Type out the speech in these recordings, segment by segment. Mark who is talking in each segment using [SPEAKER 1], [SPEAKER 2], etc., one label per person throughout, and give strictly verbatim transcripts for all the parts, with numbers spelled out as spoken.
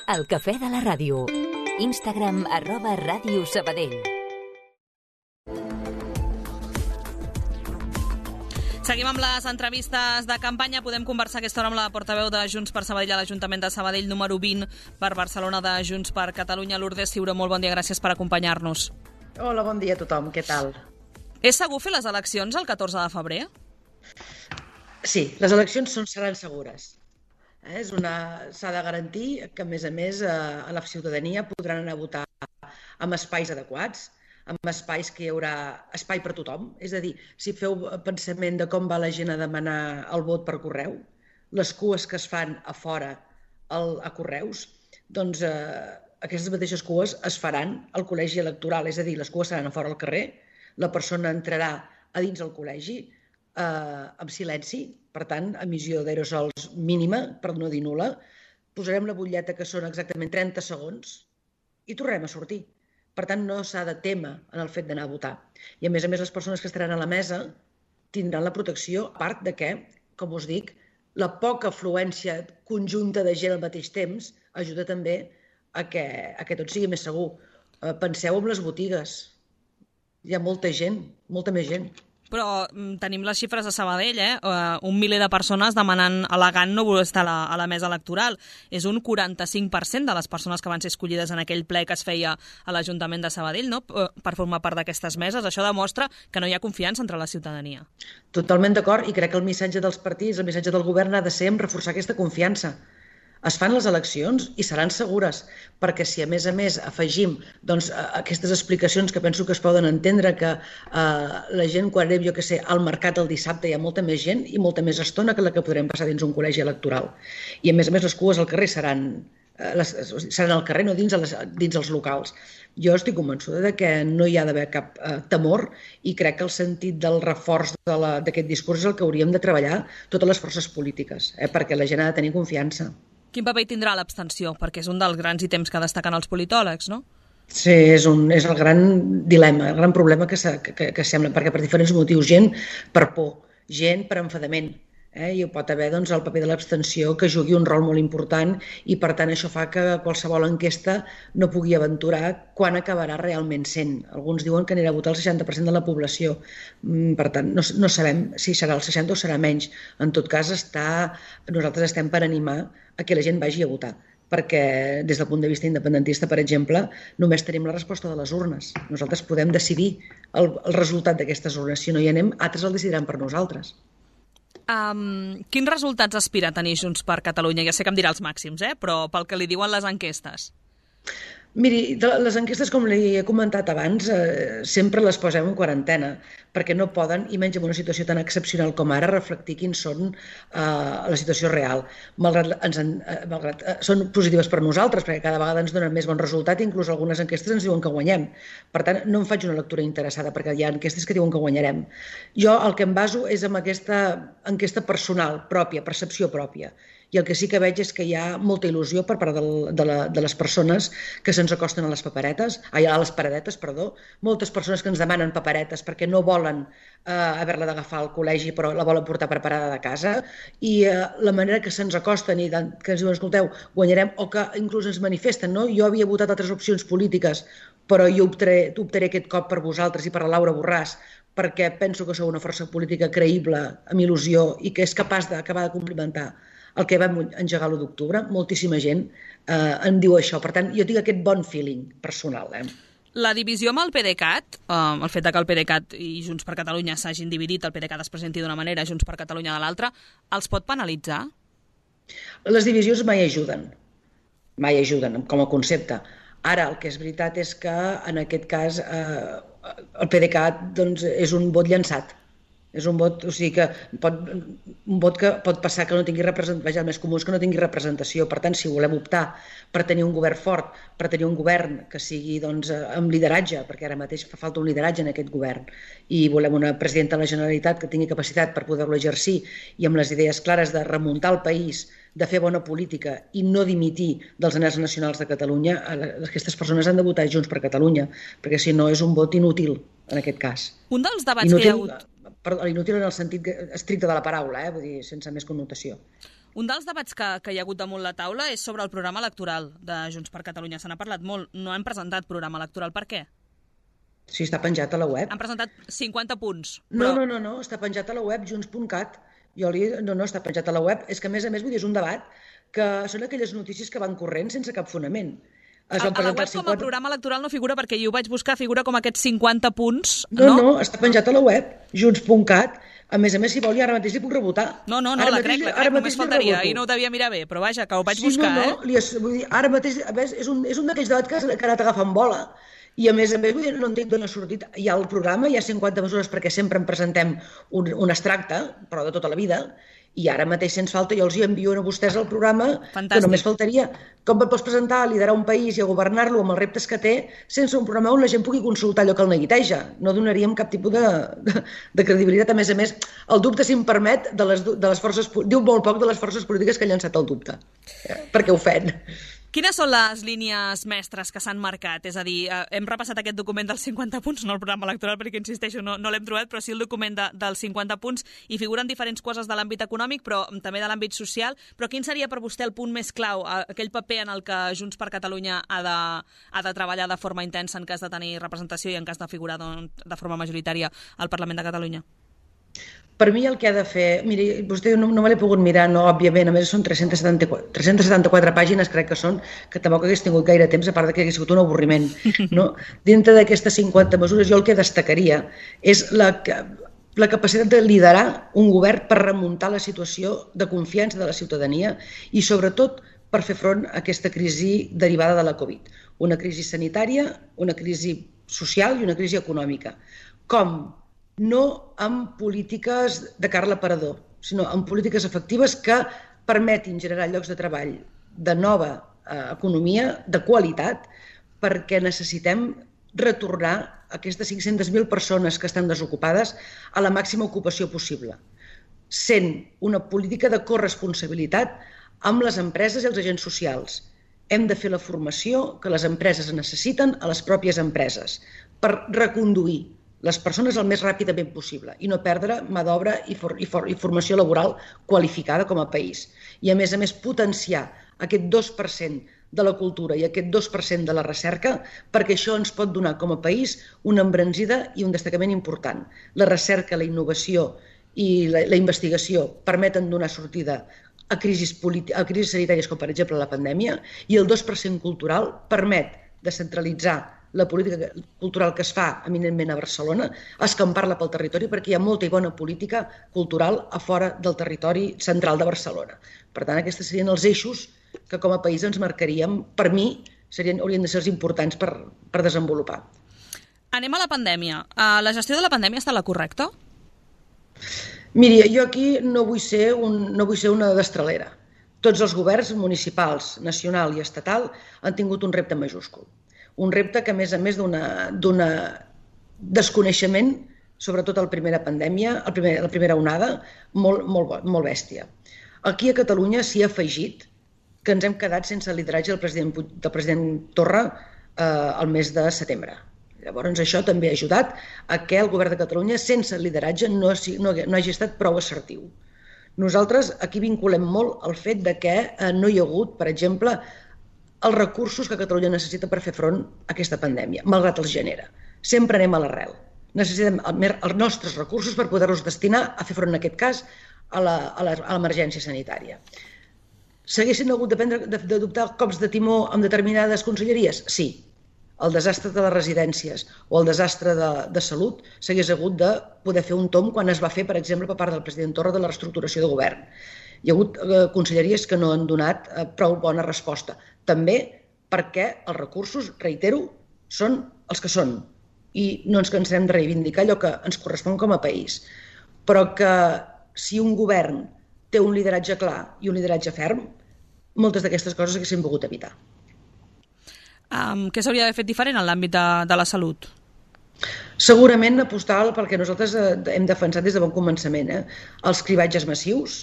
[SPEAKER 1] El cafè de la ràdio. Instagram arroba Ràdio Sabadell.
[SPEAKER 2] Seguim amb les entrevistes de campanya. Podem conversar aquesta hora amb la portaveu de Junts per Sabadell a l'Ajuntament de Sabadell, número vint per Barcelona de Junts per Catalunya, Lourdes Ciuró. Molt bon dia, gràcies per acompanyar-nos.
[SPEAKER 3] Hola, bon dia a tothom, què tal?
[SPEAKER 2] És segur fer les eleccions el catorze de febrer?
[SPEAKER 3] Sí, les eleccions són, seran segures. Eh? És una... S'ha de garantir que, a més a més, eh, a la ciutadania podran anar a votar amb espais adequats, amb espais que hi haurà espai per tothom. És a dir, si feu pensament de com va la gent a demanar el vot per correu, les cues que es fan a fora al, a correus, doncs eh, aquestes mateixes cues es faran al col·legi electoral. És a dir, les cues seran a fora al carrer, la persona entrarà a dins el col·legi eh, amb silenci, per tant, emissió d'aerosols mínima, per no dir nul·la, posarem la butlleta, que són exactament trenta segons, i tornarem a sortir. Per tant, no s'ha de témer en el fet d'anar a votar. I, a més a més, les persones que estaran a la mesa tindran la protecció, a part de que, com us dic, la poca afluència conjunta de gent al mateix temps ajuda també a que, a que tot sigui més segur. Penseu en les botigues. Hi ha molta gent, molta més gent.
[SPEAKER 2] Però tenim les xifres de Sabadell, eh? Un miler de persones demanant, al·legant no voler estar a la, a la mesa electoral. És un quaranta-cinc per cent de les persones que van ser escollides en aquell ple que es feia a l'Ajuntament de Sabadell, no?, per formar part d'aquestes meses. Això demostra que no hi ha confiança entre la ciutadania.
[SPEAKER 3] Totalment d'acord, i crec que el missatge dels partits, el missatge del govern ha de ser en reforçar aquesta confiança. Es fan les eleccions i seran segures, perquè si a més a més afegim doncs, aquestes explicacions que penso que es poden entendre, que eh, la gent quan anem, jo què sé, al mercat el dissabte hi ha molta més gent i molta més estona que la que podrem passar dins un col·legi electoral. I a més a més les cues al carrer seran, eh, les, seran al carrer, no dins, les, dins els locals. Jo estic convençuda de que no hi ha d'haver cap eh, temor, i crec que el sentit del reforç d'aquest de discurs és el que hauríem de treballar totes les forces polítiques, eh, perquè la gent ha de tenir confiança.
[SPEAKER 2] Quin paper tindrà l'abstenció? Perquè és un dels grans ítems que destaquen els politòlegs, no?
[SPEAKER 3] Sí, és, un, és el gran dilema, el gran problema que, que, que sembla, perquè per diferents motius, gent per por, gent per enfadament, eh? I pot haver doncs, el paper de l'abstenció que jugui un rol molt important, i per tant això fa que qualsevol enquesta no pugui aventurar quan acabarà realment sent. Alguns diuen que anirà a votar el seixanta per cent de la població, per tant no, no sabem si serà el seixanta o serà menys. En tot cas, està, nosaltres estem per animar a que la gent vagi a votar, perquè des del punt de vista independentista, per exemple, només tenim la resposta de les urnes. Nosaltres podem decidir el, el resultat d'aquestes urnes. Si no hi anem, altres el decidiran per nosaltres.
[SPEAKER 2] Um, quins resultats aspira a tenir Junts per Catalunya? Ja sé que em dirà els màxims, eh? Però pel que li diuen les enquestes.
[SPEAKER 3] Miri, les enquestes, com li he comentat abans, eh, sempre les posem en quarantena, perquè no poden, i menys en una situació tan excepcional com ara, reflectir quins són eh, la situació real. Malgrat, ens en, eh, malgrat eh, són positives per nosaltres, perquè cada vegada ens donen més bon resultat, i inclús algunes enquestes ens diuen que guanyem. Per tant, no em faig una lectura interessada, perquè hi ha enquestes que diuen que guanyarem. Jo el que em baso és en aquesta enquesta personal, pròpia, percepció pròpia. I el que sí que veig és que hi ha molta il·lusió per part de, de, la, de les persones que se'ns acosten a les paperetes, a les paradetes, perdó, moltes persones que ens demanen paperetes perquè no volen eh, haver-la d'agafar al col·legi, però la volen portar preparada de casa, i eh, la manera que se'ns acosten i que ens diuen, escolteu, guanyarem, o que inclús ens manifesten, no? Jo havia votat altres opcions polítiques, però jo optaré, optaré aquest cop per vosaltres i per la Laura Borràs, perquè penso que sou una força política creïble, amb il·lusió, i que és capaç d'acabar de complimentar el que vam engegar l'u d'octubre. Moltíssima gent eh, en diu això. Per tant, jo tinc aquest bon feeling personal. Eh?
[SPEAKER 2] La divisió amb el PDeCAT, eh, el fet que el PDeCAT i Junts per Catalunya s'hagin dividit, el PDeCAT es presenti d'una manera, Junts per Catalunya de l'altra, els pot penalitzar?
[SPEAKER 3] Les divisions mai ajuden. Mai ajuden, com a concepte. Ara, el que és veritat és que, en aquest cas, eh, el PDeCAT doncs, és un vot llançat. És un vot, o sigui que pot, un vot que pot passar que no tingui representació, el més comú és que no tingui representació. Per tant, si volem optar per tenir un govern fort, per tenir un govern que sigui doncs, amb lideratge, perquè ara mateix fa falta un lideratge en aquest govern, i volem una presidenta de la Generalitat que tingui capacitat per poder-lo exercir i amb les idees clares de remuntar el país, de fer bona política i no dimitir dels anhels nacionals de Catalunya, aquestes persones han de votar Junts per Catalunya, perquè si no és un vot inútil en aquest cas.
[SPEAKER 2] Un dels debats
[SPEAKER 3] inútil,
[SPEAKER 2] que hi ha hagut...
[SPEAKER 3] Perdó, inútil en el sentit estricte de la paraula, eh? Vull dir, sense més connotació.
[SPEAKER 2] Un dels debats que, que hi ha hagut damunt la taula és sobre el programa electoral de Junts per Catalunya. Se n'ha parlat molt. No hem presentat programa electoral. Per què?
[SPEAKER 3] Sí, està penjat a la web.
[SPEAKER 2] Han presentat cinquanta punts.
[SPEAKER 3] Però... No, no, no, no, està penjat a la web, junts punt cat. Jo li... No, no, està penjat a la web. És que, a més a més, vull dir, és un debat que són aquelles notícies que van corrent sense cap fonament.
[SPEAKER 2] Es a, a la web cinquanta... com a programa electoral no figura, perquè jo ho vaig buscar, figura com aquests cinquanta punts.
[SPEAKER 3] No, no, no està penjat a la web, junts punt cat. A més a més, si vol, ara mateix li puc rebotar.
[SPEAKER 2] No, no, no, ara la crec, la crec, només faltaria. Ahir no ho devia mirar bé, però vaja, que ho vaig
[SPEAKER 3] sí,
[SPEAKER 2] buscar,
[SPEAKER 3] no, no,
[SPEAKER 2] eh?
[SPEAKER 3] Li, vull dir, ara mateix, a més, és un, és un d'aquells debats que, que ha anat agafant bola. I a més a més, vull dir, no entenc d'on ha sortit. Hi ha el programa, hi ha cinquanta mesures perquè sempre en presentem un, un extracte, però de tota la vida, i ara mateix, si ens falta, jo els hi envio a vostès el programa,
[SPEAKER 2] fantàstic.
[SPEAKER 3] Que només faltaria. Com et pots presentar a liderar un país i a governar-lo amb els reptes que té sense un programa on la gent pugui consultar allò que el neguiteja? No donaríem cap tipus de, de, de credibilitat. A més a més, el dubte, si em permet, de les, de les forces, diu molt poc de les forces polítiques que han llançat el dubte, eh? Perquè ofèn.
[SPEAKER 2] Quines són les línies mestres que s'han marcat? És a dir, hem repassat aquest document dels cinquanta punts, no el programa electoral, perquè, insisteixo, no, no l'hem trobat, però sí el document de, dels cinquanta punts, i figuren diferents coses de l'àmbit econòmic, però també de l'àmbit social. Però quin seria per vostè el punt més clau, aquell paper en el que Junts per Catalunya ha de, ha de treballar de forma intensa en cas de tenir representació i en cas de figurar doncs, de forma majoritària al Parlament de Catalunya?
[SPEAKER 3] Per mi el que ha de fer... Miri, vostè no, no me l'he pogut mirar, no, òbviament, a més són tres-centes setanta-quatre pàgines, crec que són, que tampoc hagués tingut gaire temps, a part que hagués sigut un avorriment. No? Dintre d'aquestes cinquanta mesures, jo el que destacaria és la, la capacitat de liderar un govern per remuntar la situació de confiança de la ciutadania i, sobretot, per fer front a aquesta crisi derivada de la Covid. Una crisi sanitària, una crisi social i una crisi econòmica. Com? No amb polítiques de cara a l'aparador, sinó amb polítiques efectives que permetin generar llocs de treball de nova eh, economia, de qualitat, perquè necessitem retornar aquestes cinc-centes mil persones que estan desocupades a la màxima ocupació possible, sent una política de corresponsabilitat amb les empreses i els agents socials. Hem de fer la formació que les empreses necessiten a les pròpies empreses per reconduir les persones el més ràpidament possible i no perdre mà d'obra i, for, i, for, i formació laboral qualificada com a país. I a més a més potenciar aquest dos per cent de la cultura i aquest dos per cent de la recerca, perquè això ens pot donar com a país una embranzida i un destacament important. La recerca, la innovació i la, la investigació permeten donar sortida a crisis, a crisis sanitàries com per exemple la pandèmia, i el dos per cent cultural permet descentralitzar la política cultural que es fa eminentment a Barcelona, escampar-la pel territori, perquè hi ha molta i bona política cultural a fora del territori central de Barcelona. Per tant, aquests serien els eixos que com a país ens marcaríem, per mi, serien, haurien de ser els importants per, per desenvolupar.
[SPEAKER 2] Anem a la pandèmia. La gestió de la pandèmia està la correcta?
[SPEAKER 3] Miri, jo aquí no vull ser, un, no vull ser una destralera. Tots els governs municipals, nacional i estatal han tingut un repte majúscul. Un repte que, a més a més d'un desconeixement, sobretot a la primera pandèmia, a la primera, la primera onada, molt, molt, molt bèstia. Aquí a Catalunya s'hi ha afegit que ens hem quedat sense el lideratge del president, del president Torra eh, el mes de setembre. Llavors, això també ha ajudat a que el govern de Catalunya, sense lideratge, no, no, no hagi estat prou assertiu. Nosaltres aquí vinculem molt el fet de que eh, no hi ha hagut, per exemple, els recursos que Catalunya necessita per fer front a aquesta pandèmia, malgrat els genera. Sempre anem a l'arrel. Necessitem els nostres recursos per poder-los destinar a fer front, en aquest cas, a l'emergència sanitària. S'haguessin hagut d'adoptar cops de timó amb determinades conselleries? Sí. El desastre de les residències o el desastre de, de salut s'hagués hagut de poder fer un tomb quan es va fer, per exemple, per part del president Torra de la reestructuració de govern. Hi ha hagut eh, conselleries que no han donat eh, prou bona resposta. També perquè els recursos, reitero, són els que són i no ens cansarem de reivindicar allò que ens correspon com a país. Però que si un govern té un lideratge clar i un lideratge ferm, moltes d'aquestes coses s'haguessin pogut evitar.
[SPEAKER 2] Um, què s'hauria d'haver fet diferent en l'àmbit de, de la salut?
[SPEAKER 3] Segurament apostar pel que nosaltres hem defensat des de bon començament. Eh? Els cribatges massius,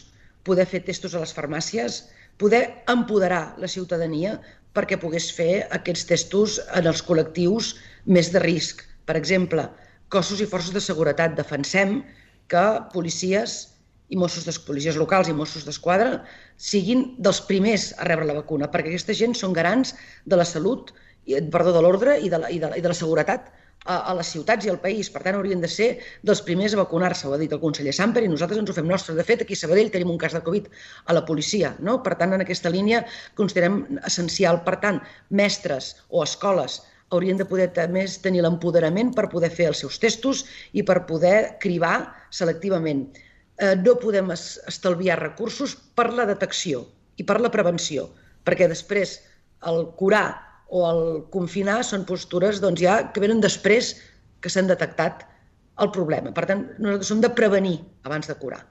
[SPEAKER 3] poder fer testos a les farmàcies, poder empoderar la ciutadania perquè pogués fer aquests testos en els col·lectius més de risc. Per exemple, cossos i forces de seguretat. Defensem que policies i Mossos de policies locals i Mossos d'Esquadra siguin dels primers a rebre la vacuna, perquè aquesta gent són garants de la salut, perdó, de l'ordre i de la, i de la, i de la seguretat a, a les ciutats i al país. Per tant, haurien de ser dels primers a vacunar-se, ho ha dit el conseller Samper, i nosaltres ens ho fem nostre. De fet, aquí a Sabadell tenim un cas de Covid a la policia, no? Per tant, en aquesta línia considerem essencial. Per tant, mestres o escoles haurien de poder més tenir l'empoderament per poder fer els seus testos i per poder cribar selectivament. No podem estalviar recursos per la detecció i per la prevenció, perquè després el curar o el confinar són postures doncs, ja que venen després que s'han detectat el problema. Per tant, nosaltres som de prevenir abans de curar.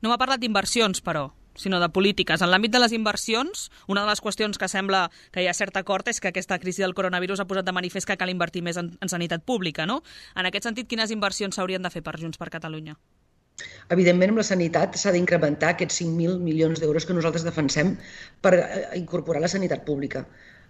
[SPEAKER 2] No m'ha parlat d'inversions, però, sinó de polítiques. En l'àmbit de les inversions, una de les qüestions que sembla que hi ha cert acord és que aquesta crisi del coronavirus ha posat de manifest que cal invertir més en, en sanitat pública, no? En aquest sentit, quines inversions s'haurien de fer per Junts per Catalunya?
[SPEAKER 3] Evidentment, amb la sanitat s'ha d'incrementar aquests cinc mil milions d'euros que nosaltres defensem per incorporar la sanitat pública.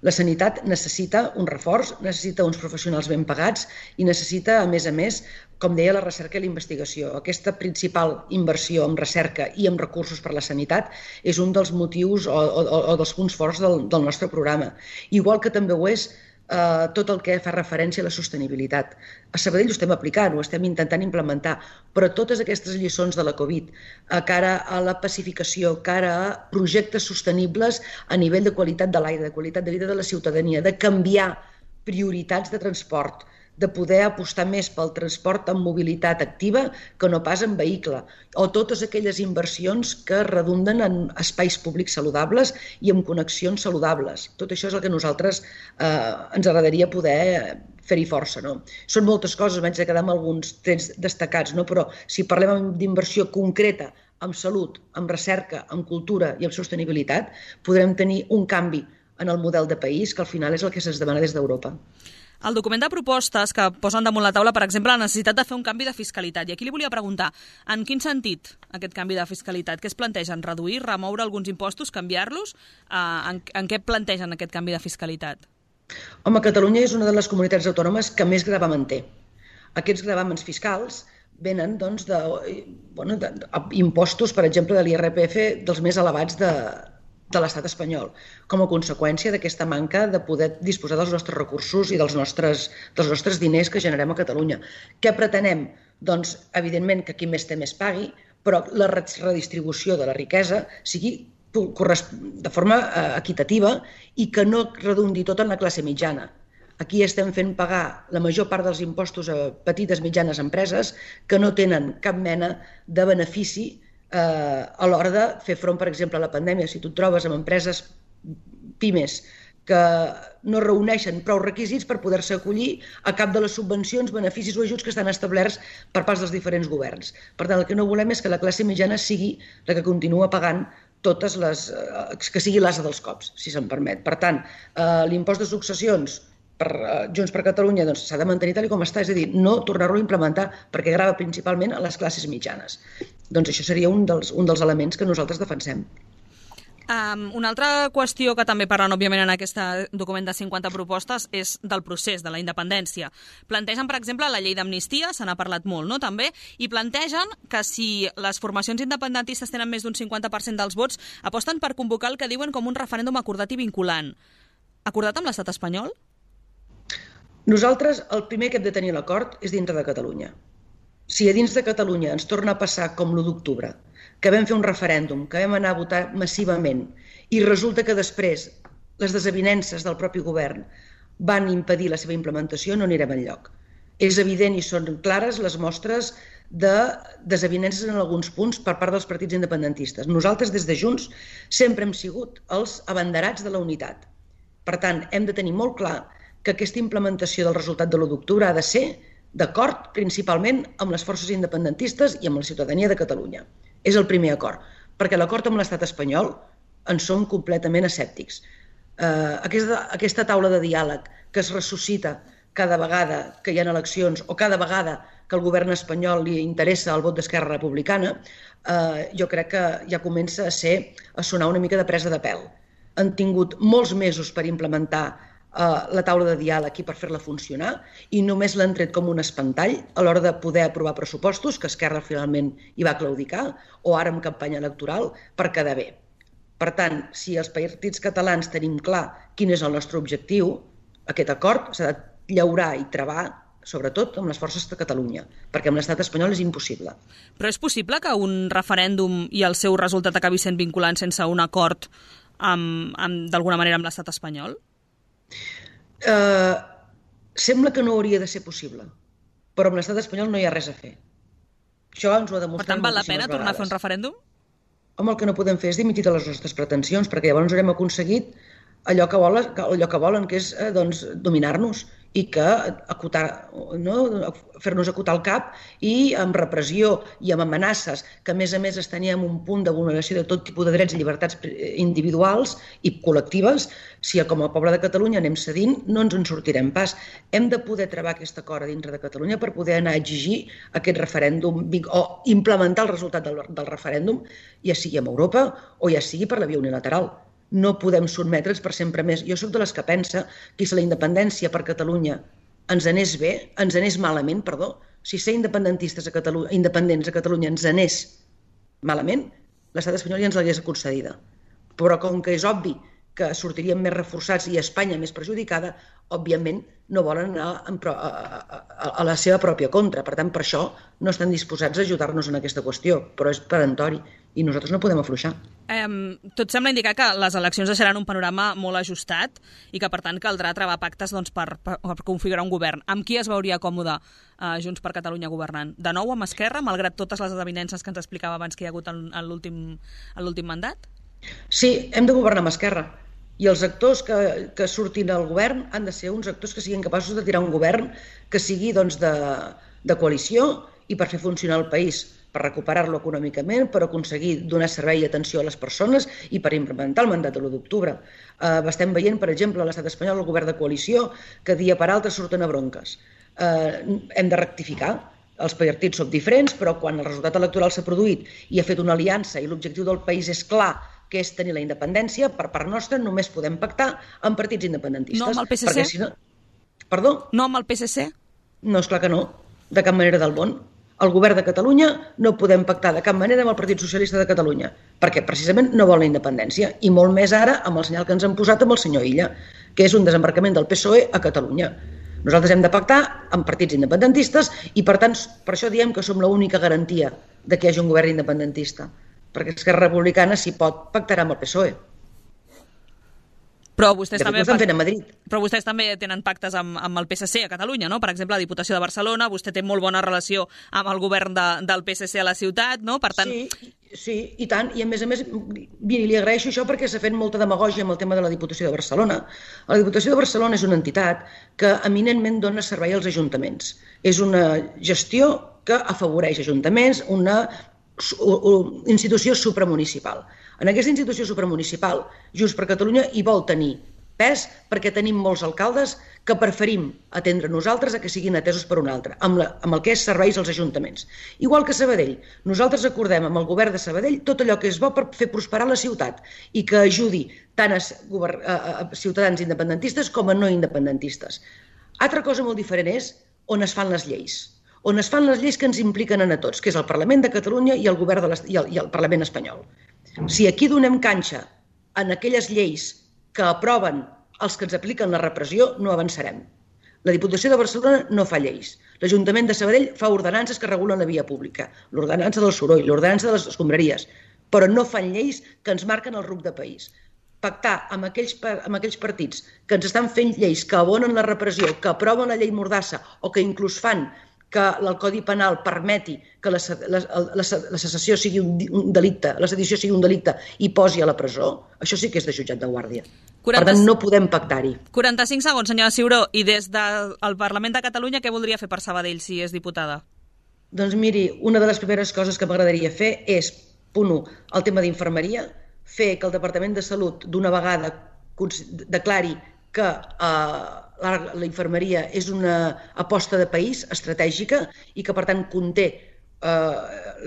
[SPEAKER 3] La sanitat necessita un reforç, necessita uns professionals ben pagats i necessita, a més a més, com deia, la recerca i la investigació. Aquesta principal inversió en recerca i en recursos per a la sanitat és un dels motius o, o, o dels punts forts del, del nostre programa. Igual que també ho és Uh, tot el que fa referència a la sostenibilitat. A Sabadell ho estem aplicant, ho estem intentant implementar, però totes aquestes lliçons de la Covid, a cara a la pacificació, cara a projectes sostenibles a nivell de qualitat de l'aire, de qualitat de vida de la ciutadania, de canviar prioritats de transport, de poder apostar més pel transport amb mobilitat activa que no pas en vehicle, o totes aquelles inversions que redunden en espais públics saludables i en connexions saludables. Tot això és el que nosaltres eh, ens agradaria poder fer-hi força. No? Són moltes coses, vaig a quedar amb alguns trets destacats, no? Però si parlem d'inversió concreta en salut, en recerca, en cultura i en sostenibilitat, podrem tenir un canvi en el model de país que al final és el que se'ns demana des d'Europa.
[SPEAKER 2] El document de propostes que posen damunt la taula, per exemple, la necessitat de fer un canvi de fiscalitat. I aquí li volia preguntar, en quin sentit aquest canvi de fiscalitat? Què es plantegen? Reduir, remoure alguns impostos, canviar-los? En, en què plantegen aquest canvi de fiscalitat?
[SPEAKER 3] Home, Catalunya és una de les comunitats autònomes que més gravamen té. Aquests gravàmens fiscals venen doncs, de, bueno, de, de impostos, per exemple, de l'I R P F dels més elevats de de l'estat espanyol, com a conseqüència d'aquesta manca de poder disposar dels nostres recursos i dels nostres, dels nostres diners que generem a Catalunya. Què pretenem? Doncs, evidentment, que qui més té més pagui, però la redistribució de la riquesa sigui de forma equitativa i que no redundi tot en la classe mitjana. Aquí estem fent pagar la major part dels impostos a petites i mitjanes empreses que no tenen cap mena de benefici a l'hora de fer front, per exemple, a la pandèmia. Si tu et trobes amb empreses pimes que no reuneixen prou requisits per poder-se acollir a cap de les subvencions, beneficis o ajuts que estan establerts per part dels diferents governs. Per tant, el que no volem és que la classe mitjana sigui la que continua pagant totes les... que sigui l'ase dels cops, si se'm permet. Per tant, l'impost de successions per Junts per Catalunya doncs, s'ha de mantenir tal com està, és a dir, no tornar-lo a implementar perquè grava principalment a les classes mitjanes. Doncs això seria un dels, un dels elements que nosaltres defensem.
[SPEAKER 2] Um, una altra qüestió que també parlen, òbviament, en aquest document de cinquanta propostes és del procés, de la independència. Plantegen, per exemple, la llei d'amnistia, se n'ha parlat molt, no?, també, i plantegen que si les formacions independentistes tenen més d'un cinquanta per cent dels vots, aposten per convocar el que diuen com un referèndum acordat i vinculant. Acordat amb l'estat espanyol?
[SPEAKER 3] Nosaltres, el primer que hem de tenir l'acord és dintre de Catalunya. Si a dins de Catalunya ens torna a passar com l'u d'octubre, que vam fer un referèndum, que vam anar a votar massivament i resulta que després les desavinences del propi govern van impedir la seva implementació, no anirem enlloc. És evident i són clares les mostres de desavinences en alguns punts per part dels partits independentistes. Nosaltres, des de Junts, sempre hem sigut els abanderats de la unitat. Per tant, hem de tenir molt clar que aquesta implementació del resultat de l'u d'octubre ha de ser d'acord principalment amb les forces independentistes i amb la ciutadania de Catalunya. És el primer acord, perquè l'acord amb l'estat espanyol en som completament escèptics. Eh, aquesta, aquesta taula de diàleg que es ressuscita cada vegada que hi ha eleccions o cada vegada que al govern espanyol li interessa el vot d'Esquerra Republicana, eh, jo crec que ja comença a ser a sonar una mica de presa de pèl. Han tingut molts mesos per implementar la taula de diàleg i per fer-la funcionar, i només l'han tret com un espantall a l'hora de poder aprovar pressupostos, que Esquerra finalment hi va claudicar, o ara en campanya electoral, per quedar bé. Per tant, si els partits catalans tenim clar quin és el nostre objectiu, aquest acord s'ha de llaurar i travar, sobretot amb les forces de Catalunya, perquè amb l'estat espanyol és impossible.
[SPEAKER 2] Però és possible que un referèndum i el seu resultat acabi sent vinculant sense un acord d'alguna manera amb l'estat espanyol?
[SPEAKER 3] Uh, sembla que no hauria de ser possible, però amb l'estat espanyol no hi ha res a fer. Això ens ho ha demostrat moltíssimes vegades.
[SPEAKER 2] Per tant, val la pena tornar a fer un referèndum?
[SPEAKER 3] Home, el que no podem fer és dimitir de les nostres pretensions, perquè llavors haurem aconseguit allò que volen, allò que, volen, que és doncs, dominar-nos i que acotar, no? fer-nos acotar el cap, i amb repressió i amb amenaces, que a més a més estaríem en un punt de vulneració de tot tipus de drets i llibertats individuals i col·lectives. Si com a poble de Catalunya anem cedint, no ens en sortirem pas. Hem de poder travar aquest acord a dintre de Catalunya per poder anar a exigir aquest referèndum o implementar el resultat del, del referèndum, ja sigui amb Europa o ja sigui per la via unilateral. No podem sotmetre'ns per sempre més. Jo soc de les que pensa que si la independència per Catalunya ens anés bé, ens anés malament, perdó, si ser independentistes a Catalunya, independents a Catalunya ens anés malament, l'estat espanyol ja ens l'hagués concedida. Però com que és obvi que sortiríem més reforçats i Espanya més perjudicada, òbviament no volen anar a, a, a, a la seva pròpia contra. Per tant, per això no estan disposats a ajudar-nos en aquesta qüestió, però és perentori i nosaltres no podem afluixar.
[SPEAKER 2] Eh, tot sembla indicar que les eleccions deixaran un panorama molt ajustat i que, per tant, caldrà travar pactes doncs, per, per, per configurar un govern. Amb qui es veuria còmode eh, Junts per Catalunya governant? De nou amb Esquerra, malgrat totes les desavinences que ens explicava abans que hi ha hagut en, en l'últim mandat?
[SPEAKER 3] Sí, hem de governar amb Esquerra. I els actors que, que surtin al govern han de ser uns actors que siguin capaços de tirar un govern que sigui doncs, de, de coalició i per fer funcionar el país, per recuperar-lo econòmicament, per aconseguir donar servei i atenció a les persones i per implementar el mandat de l'u d'octubre. Eh, estem veient, per exemple, a l'estat espanyol el govern de coalició que dia per altre surten a bronques. Eh, hem de rectificar. Els partits som diferents, però quan el resultat electoral s'ha produït i ha fet una aliança i l'objectiu del país és clar, que és tenir la independència, per part nostra només podem pactar amb partits independentistes.
[SPEAKER 2] No amb el P S C?
[SPEAKER 3] Si no... Perdó?
[SPEAKER 2] No amb el P S C?
[SPEAKER 3] No, esclar que no, de cap manera del món. El govern de Catalunya no podem pactar de cap manera amb el Partit Socialista de Catalunya, perquè precisament no vol la independència, i molt més ara amb el senyal que ens han posat amb el senyor Illa, que és un desembarcament del P S O E a Catalunya. Nosaltres hem de pactar amb partits independentistes i, per tant, per això diem que som l'única garantia de que hi hagi un govern independentista, perquè Esquerra Republicana, si pot, pactarà amb el P S O E.
[SPEAKER 2] Però vostès, també,
[SPEAKER 3] fent a Madrid.
[SPEAKER 2] però vostès també tenen pactes amb, amb el P S C a Catalunya, no? Per exemple, la Diputació de Barcelona, vostè té molt bona relació amb el govern de, del P S C a la ciutat, no? Per tant...
[SPEAKER 3] Sí, sí, i tant. I a més a més, li agraeixo això perquè s'ha fet molta demagògia amb el tema de la Diputació de Barcelona. La Diputació de Barcelona és una entitat que eminentment dona servei als ajuntaments. És una gestió que afavoreix ajuntaments, una institució supramunicipal. En aquesta institució supramunicipal, Junts per Catalunya hi vol tenir pes perquè tenim molts alcaldes que preferim atendre nosaltres a que siguin atesos per un altre, amb, la, amb el que és serveis als ajuntaments. Igual que Sabadell, nosaltres acordem amb el govern de Sabadell tot allò que és bo per fer prosperar la ciutat i que ajudi tant a, a, a ciutadans independentistes com a no independentistes. Altra cosa molt diferent és on es fan les lleis. on es fan les lleis que ens impliquen a tots, que és el Parlament de Catalunya i el govern de i el, i el Parlament espanyol. Si aquí donem canxa en aquelles lleis que aproven els que ens apliquen la repressió, no avançarem. La Diputació de Barcelona no fa lleis. L'Ajuntament de Sabadell fa ordenances que regulen la via pública, l'ordenança del soroll, l'ordenança de les escombraries, però no fan lleis que ens marquen el rumb de país. Pactar amb aquells, amb aquells partits que ens estan fent lleis que abonen la repressió, que aproven la llei Mordassa o que inclús fan que el Codi Penal permeti que la, la, la, la secessió sigui un, un delicte, la sedició sigui un delicte i posi a la presó, això sí que és de jutjat de guàrdia. quaranta... Per tant, no podem pactar-hi.
[SPEAKER 2] quaranta-cinc segons, senyora Ciuró. I des del Parlament de Catalunya, què voldria fer per Sabadell si és diputada?
[SPEAKER 3] Doncs miri, una de les primeres coses que m'agradaria fer és, punt u, el tema d'infermeria, fer que el Departament de Salut d'una vegada declari que eh, la infermeria és una aposta de país estratègica i que, per tant, conté eh,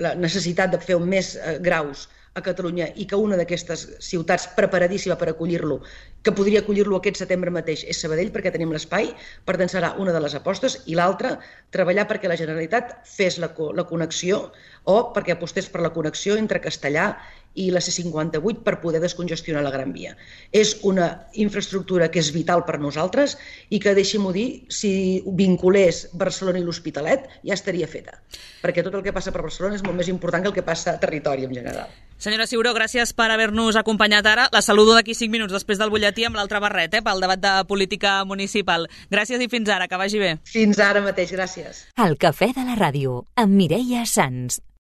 [SPEAKER 3] la necessitat de fer més eh, graus a Catalunya i que una d'aquestes ciutats preparadíssima per acollir-lo, que podria acollir-lo aquest setembre mateix, és Sabadell, perquè tenim l'espai, per tant serà una de les apostes, i l'altra, treballar perquè la Generalitat fes la, la connexió o perquè apostés per la connexió entre Castellar i la C cinquanta-vuit per poder descongestionar la Gran Via. És una infraestructura que és vital per nosaltres i que, deixi-m'ho dir, si vinculés Barcelona i l'Hospitalet ja estaria feta, perquè tot el que passa per Barcelona és molt més important que el que passa a territori en general.
[SPEAKER 2] Senyora Ciuró, gràcies per haver-nos acompanyat ara. La saludo d'aquí cinc minuts després del butlletí amb l'altre barret, eh, pel debat de política municipal. Gràcies i fins ara, que vagi bé.
[SPEAKER 3] Fins ara mateix, gràcies.
[SPEAKER 1] El Cafè de la Ràdio, amb Mireia Sans.